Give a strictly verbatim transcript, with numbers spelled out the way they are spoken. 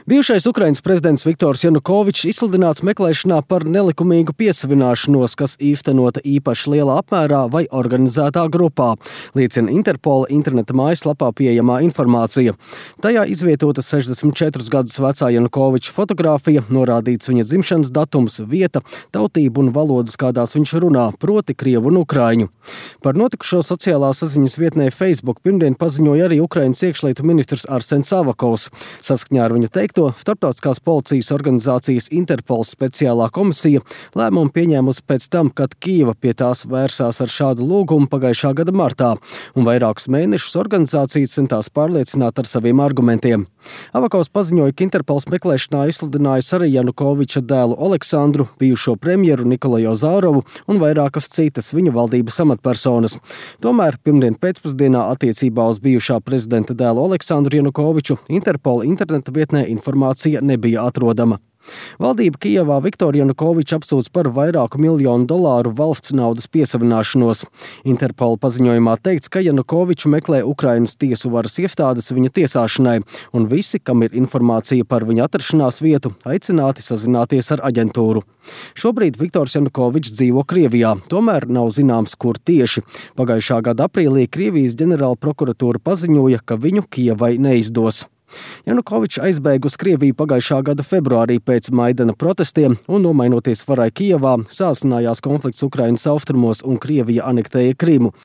Bijušais Ukrainas prezidents Viktors Janukovičs izsludināts meklēšanā par nelikumīgu piesavināšanos, kas īstenota īpaši lielā apmērā vai organizētā grupā, liecina Interpola interneta mājaslapā pieejamā informācija. Tajā izvietota sešdesmit četrus gadus vecā Janukoviča fotogrāfija, norādīts viņa dzimšanas datums, vieta, tautība un valodas, kādās viņš runā, proti krievu un ukraiņu. Par notikušo sociālā saziņas vietnē Facebook pirmdien paziņoja arī Ukrainas iekšlietu ministrs Arsens Avakovs. Saskaņā ar viņa teikto, Starptautiskās policijas organizācijas Interpols speciālā komisija lēmumu pieņēmusi pēc tam, kad Kijeva pie tās vērsās ar šādu lūgumu pagājušā gada martā, un vairākus mēnešus organizācijas centās pārliecināt ar saviem argumentiem. Avakovs paziņoja, ka Interpols meklēšanā izsludinājis arī Janukoviča dēlu Oleksandru, bijušo premjeru Nikolaju Ozārovu un vairākas citas viņa valdības amatpersonas. Tomēr pirmdien pēcpusdienā attiecībā uz bijušā prezidenta dēlu Oleksandru Janukoviču Interpola interneta vietnē informācija nebija atrodama. Valdība Kijevā Viktoru Janukoviču apsūdz par vairāku miljonu dolāru valsts naudas piesavināšanos. Interpola paziņojumā teikts, ka Janukoviču meklē Ukrainas tiesu varas iestādes viņa tiesāšanai, un visi, kam ir informācija par viņa atrašanās vietu, aicināti sazināties ar aģentūru. Šobrīd Viktors Janukovičs dzīvo Krievijā, tomēr nav zināms, kur tieši. Pagājušā gada aprīlī Krievijas ģenerāla prokuratūra paziņoja, ka viņu Kijevai neizdos. Janukovičs aizbēga uz Krieviju pagājušā gada februārī pēc Maidana protestiem un, nomainoties varai Kijevā, sāsinājās konflikts Ukrainas austrumos un Krievija anektēja Krimu.